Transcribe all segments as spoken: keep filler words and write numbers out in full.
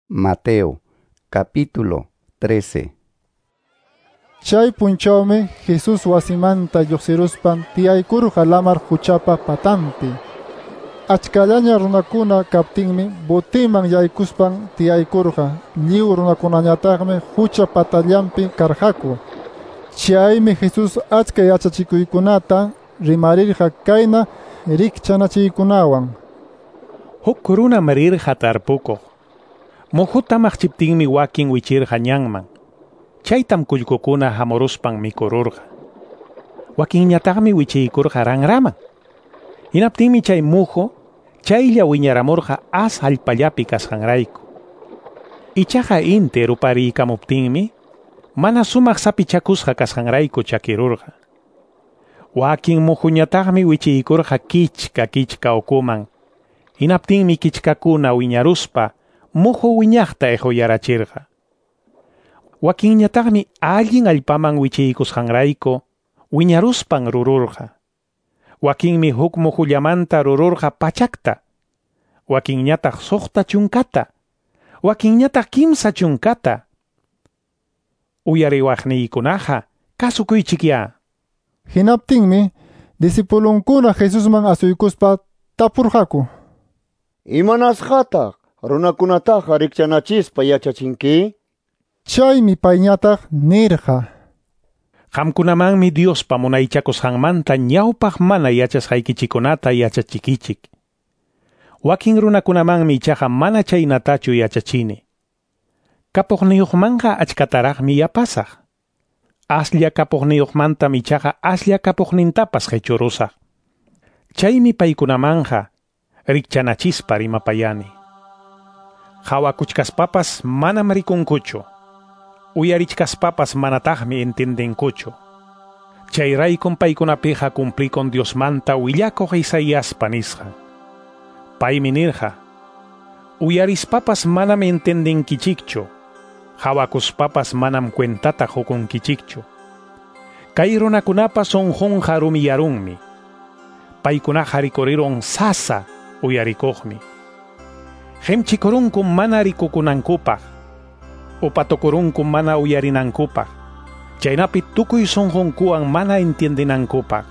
Mateo, capítulo trece. Chay punchawmi Jesús wasimanta lluqsiruspan tiyaykurqa lamar quchapa patanpi. Achkallaña runakuna kaptinmi botiman yaykuspan tiyaykurqa. Lliw runakunañataqmi qucha patallanpi karqaku. Chaymi Jesús achka yachachikuykunata rimarirqa kayna rikchanachiykunawan. Huk runam rirqa tarpukuq. Muhuta maqchiptinmi wakin wichirqa ñanman. Chaytam kullkukuna hamuruspan mikururqa. Wakinñataqmi wichiykurqa ranraman. Hinaptinmi chay muhu chaylla wiñaramurqa as allpallapi kasqanrayku. Ichaqa inti rupariykamuptinmi mana sumaq sapichakusqa kasqanrayku chakirurqa. Wakin muhuñataqmi wichiykurqa kichka kichka ukuman. Hinaptinmi kichkakuna wiñaruspa muhu wiñaqta ejuyarachirqa. Wakinñataqmi allin allpaman wichiykusqanrayku wiñaruspan rururqa. Wakinmi huk muhullamanta rururqa pachakta. Wakinñataq suqta chunkata. Wakinñataq kimsa chunkata. Uyariwaqniykunaqa kasukuychikya. Hinaptinmi disipulunkuna Jesusman asuykuspa tapurqaku. Imanasqataq runakunataqa rikchanachispa yachachinki? Chaymi payñataq nirqa. Qamkunamanmi Diospa munaychakusqanmanta ñawpaq mana yachasqaykichikunata yachachikichik. Wakin runakunamanmi ichaqa mana chaynatachu yachachini. Kapuqniyuqmanqa achkataraqmi yapasaq. Aslla kapuqniyuqmantam ichaqa aslla kapuqnintapas qechurusaq. Chaymi paykunamanqa rikchanachispa rimapayani. Hawakuchkaspapas manam rikunkuchu. Uyarichkaspapas manataqmi entendenkuchu. Chayraykum paykunapiqa cumplikun Diosmanta willakuq Isaíaspa nisqan. Paymi nirqa: Uyarispapas manam entendenkichikchu. Hawakuspapas manam cuentata hukunkichikchu. Kay runakunapa sunqunqa rumiyarunmi. Paykunaqa rikurirun sasa uyarikuqmi. Qimchikurunkum mana rikukunankupaq. Upatukurunkum mana uyarinankupaq. Chaynapi tukuy sunqunkuwan mana entiendinankupaq.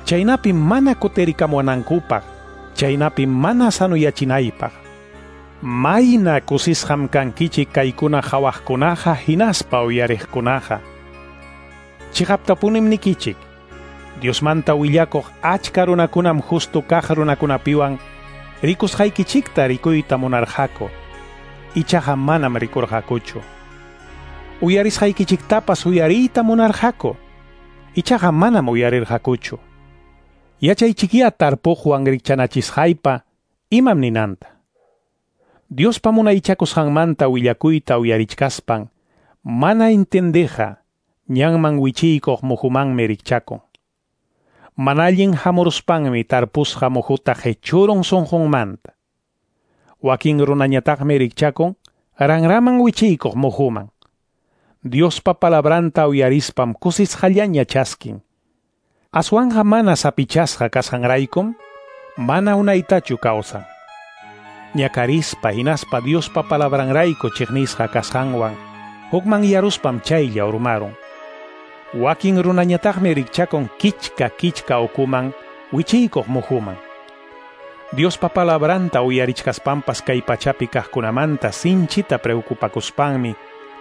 Chaynapi mana kutirikamunankupaq. Chaynapi mana sanuyachinaypaq. Mayna kusisqam kankichik kaykuna hawaqkunaqa hinaspa uyariqkunaqa. Chiqaptapunim nikichik. Diosmanta willakuq achka runakunam justo kaq runakunapiwan rikusqaykichikta rikuyta munarqaku. Ichaqa manam rikurqakuchu. Uyarisqaykichiktapas uyariyta munarqaku. Ichaqa manam uyarirqakuchu. Yachaychikya tarpuqwan rikchanachisqaypa imam ninanta. Diospa munaychakusqanmanta willakuyta uyarichkaspan mana entendeqa ñanman wichiykuq muhumanmi rikchakun. Mana allin hamuruspanmi tarpusqa muhuta qechurun sunqunmanta. Wakin runañataqmi rikchakun ranraman wichiykuq muhuman. Diospa palabranta uyarispam kusisqallaña chaskin. Aswanqa mana sapichasqa kasqanraykum mana unaytachu kawsan. Ñakarispa hinaspa Diospa palabranrayku chiqnisqa kasqanwan hukman yaruspam chaylla urmarun. Wakin runañataqmi rikchakun kichka kichka ukuman wichiykuq muhuman. Diospa palabranta uyarichkaspanpas kay pachapi kaqkunamanta sinchita preocupakuspanmi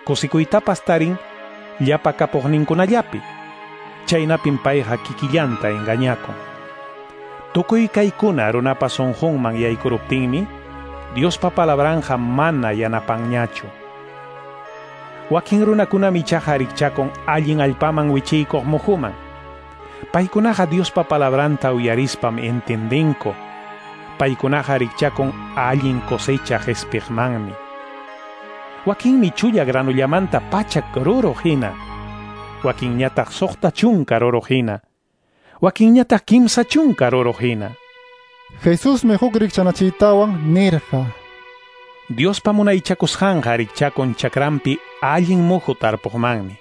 kusikuytapas tarin llapa kapuqninkunallapi. Chaynapim payqa kikillanta engañakun. Tukuy kaykuna runapa sunqunman yaykuruptinmi Diospa palabranja mana yanapanñachu. Wakin runakunam ichaqa rikchakun allin allpaman wichiykuq muhuman. Paykunaqa Diospa palabranta uyarispam entendenku. Paykunaqa rikchakun allin cosecha qespiqmanmi. Wakinmi chulla granullamanta pachak ruruq hina. Wakinñataq suqta chunka ruruq hina. Wakinñataq kimsa chunka ruruq hina. Jesusmi huk rikchanachiytawan nirqa. Diospa munaychakusqanqa rikchakun chakranpi allin muhu tarpuqmanmi.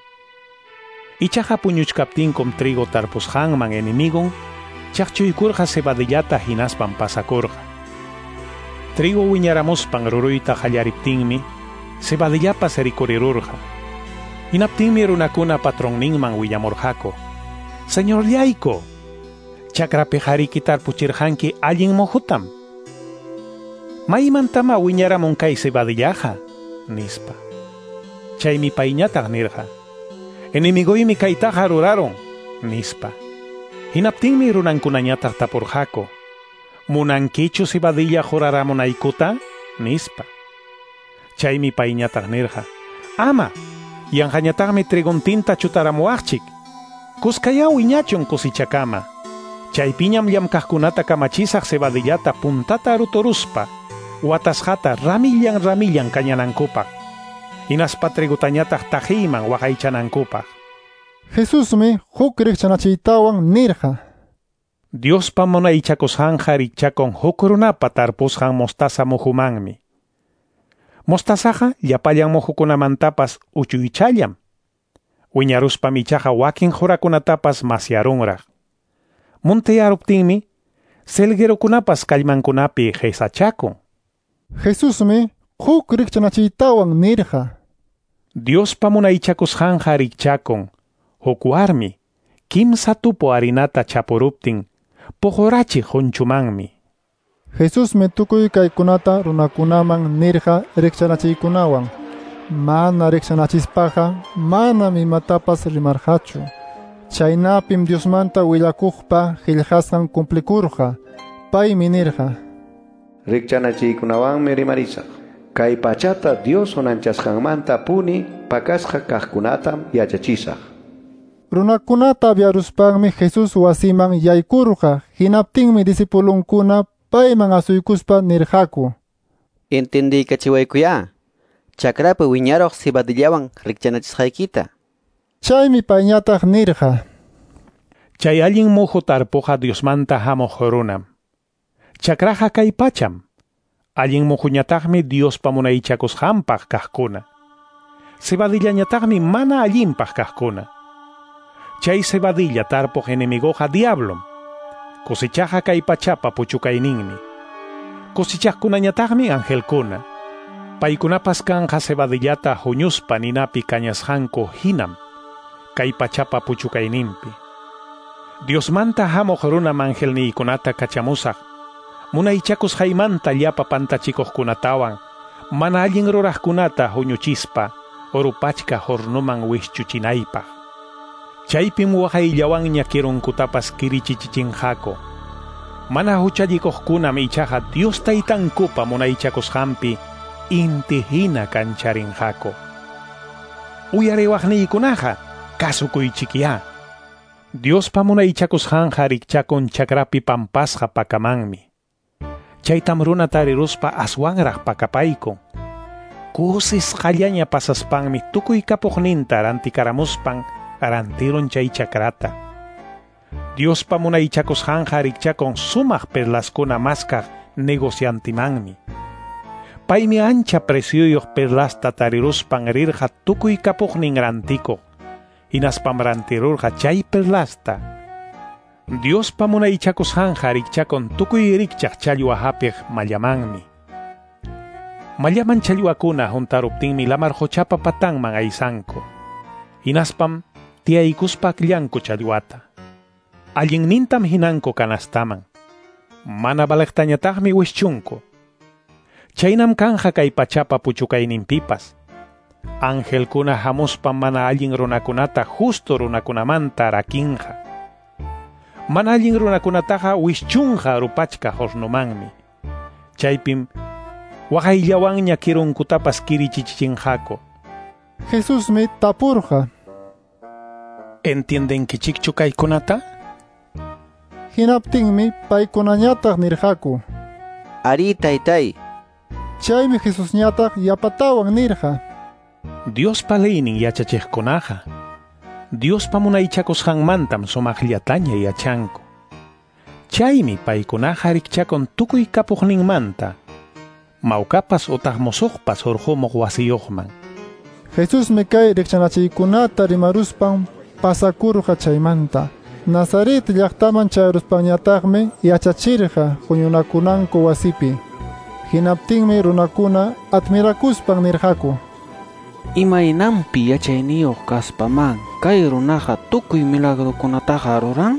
Ichaqa puñuchkaptinkum trigo tarpusqanman enemigon chaqchuykurqa cebadillata hinaspan pasakurqa. Trigo wiñaramuspan ruruyta qallariptinmi cebadillapas rikurirurqa. Hinaptinmi runakuna patronninman willamurqaku: Señorllayku, chakrapi hariki tarpuchirqanki allin muhutam. Maymantama wiñaramun kay cebadillaqa, nispa. Chaymi payñataq nirqa: Enemigoymi kaytaqa rurarun, nispa. Hinaptinmi runankunañataq tapurqaku: Munankichu cebadilla juraramunaykuta, nispa. Chaymi payñataq nirqa: Ama, yanqañataqmi triguntinta chutaramuwaqchik. Kuskaya wiñachun kusichakama. Chaypiñam llamkaqkunata kamachisaq cebadillata puntata ruturuspa, watasqata ramillan ramillan kañanankupaq. Hinaspa trigutañataq taqiyman waqaychanankupaq. Jesusmi huk rikchanachiytawan nirqa: Diospa munaychakusqanqa rikchakun huk runapa tarpusqan mostaza muhumanmi. Mostazaqa llapallan muhukunamantapas uchuychallam. Wiñaruspam ichaqa wakin qurakunatapas masyarunraq. Muntiyaruptinmi selguerokunapas kallmankunapi qisachakun. Jesusmi huk rikchanachiytawan nirqa: Diospa munaychakusqanqa rikchakun huk warmi kimsa tupu harinata chapuruptin puqurachiq qunchumanmi. Jesusmi tukuy kaykunata runakunaman nirqa rikchanachiykunawan. Mana rikchanachispaqa manam imatapas rimarqachu. Chaynapim Diosmanta willakuqpa qillqasqan cumplikurqa. Paymi nirqa: Rikchanachiykunawanmi rimarisaq. Kay pachata Dios unanchasqanmanta puni pakasqa kaqkunatam yachachisaq. Runakunata aviaruspanmi Jesús wasiman yaykurqa. Hinaptinmi disipulunkuna payman asuykuspa nirqaku: Entendiykachiwaykuyá, chakrapi wiñaruq cebadillawan rikchanachisqaykita. Chaymi payñataq nirqa: Chay allin muhu tarpuqa Diosmanta hamuq runam. Chakraqa kay pacham. Allin muhuñataqmi Diospa munaychakusqanpaq kaqkuna. Cebadillañataqmi mana allinpaq kaqkuna. Chay cebadilla tarpuq enemigoqa diablom. Cosechaqa kay pachapa puchukayninmi. Cosechaqkunañataqmi angelkuna. Paykunapas kanqa cebadillata huñuspa ninapi kañasqanku hinam kay pachapa puchukayninpi. Diosmanta hamuq runam angelniykunata kachamusaq. Munaychakusqaymanta llapa pantachikuqkunatawan mana allin ruraqkunata huñuchispa urupachka hornuman wischuchinaypaq. Chaypim waqayllawanña kirunkutapas kirichichichinqaku. Mana huchallikuqkunam ichaqa Dios taytankupa munaychakusqanpi inti hina kancharinqaku. Uyariwaqniykunaqa kasukuychikyá. Diospa munaychakusqanqa rikchakun chakrapi pampasqa pakamanmi. Chaytam runa tariruspa aswanraq pakapaykun. Kusisqallaña pasaspanmi tukuy kapuqninta rantikaramuspan rantirun chay chakrata. Diospa munaychakusqanqa rikchakun sumaq perlaskuna maskaq negociantimanmi. Paymi ancha precioyuq perlasta tariruspan rirqa tukuy kapuqnin rantikuq. Hinaspam rantirurqa chay perlasta. Diospa munaychakusqanqa rikchakun tukuy rikchaq challwa hapiq mallamanmi. Mallaman challwakuna huntaruptinmi lamar quchapa patanman aysanku. Hinaspam tiyaykuspa akllanku challwata. Allinnintam hinanku kanastaman. Mana valeqtañataqmi wischunku. Chaynam kanja kay pachapa puchukayninpipas. Angelkuna hamuspam mana allin runakunata justo runakunamanta rakinqa. Mana allin runakunataqa wischunqa rupachka hornumanmi. Chaypim waqayllawanña kirunkutapas kirichichichinqaku. Jesusmi tapurqa: ¿Entiendenkichikchu kaykunata? Hinaptinmi paykunañataq nirqaku: Ari, taytay. Chaymi Jesusñataq yapatawan nirqa: Diospa leynin yachachiqkunaqa Diospa munaychakusqanmantam sumaqllataña yachanku. Chaymi paykunaqa rikchakun tukuy kapuqninmanta, mawkapas utaq musuqpas hurqumuq wasiyuqman. Jesusmi kay rikchanachiykunata rimaruspan pasakurqa chaymanta. Nazaret llaqtaman chayaruspanñataqmi yachachirqa huñunakunanku wasipi. Hinaptinmi runakuna admirakuspan nirqaku: Imaynanpi yachayniyuq kaspaman kay runaqa tukuy milagrokunataqa ruran?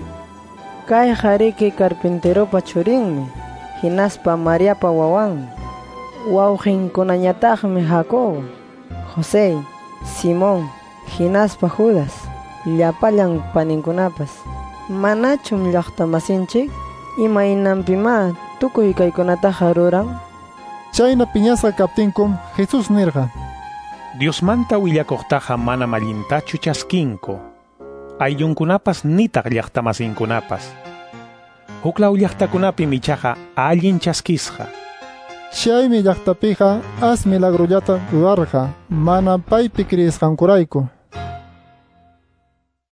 Kayqa riki carpinteropa churinmi, hinaspa Mariapa wawanmi. Wawqinkunañataqmi Jacobo, José, Simón, hinaspa Judas, llapallan paninkunapas. Manachum llaqtamasinchik? Imaynanpimá tukuy kaykunataqa ruran? Chayna piñasqa kaptinkum Jesús nirqa: Diosmanta willakuqtaqa manam allintachu chaskinku. Ayllunkunapas nitaq llaqtamasinkunapas. Huklaw llaqtakunapim ichaqa allin chaskisqa. Chaymi llaqtapiqa as milagrollata rurarqa mana paypi kriyisqankurayku.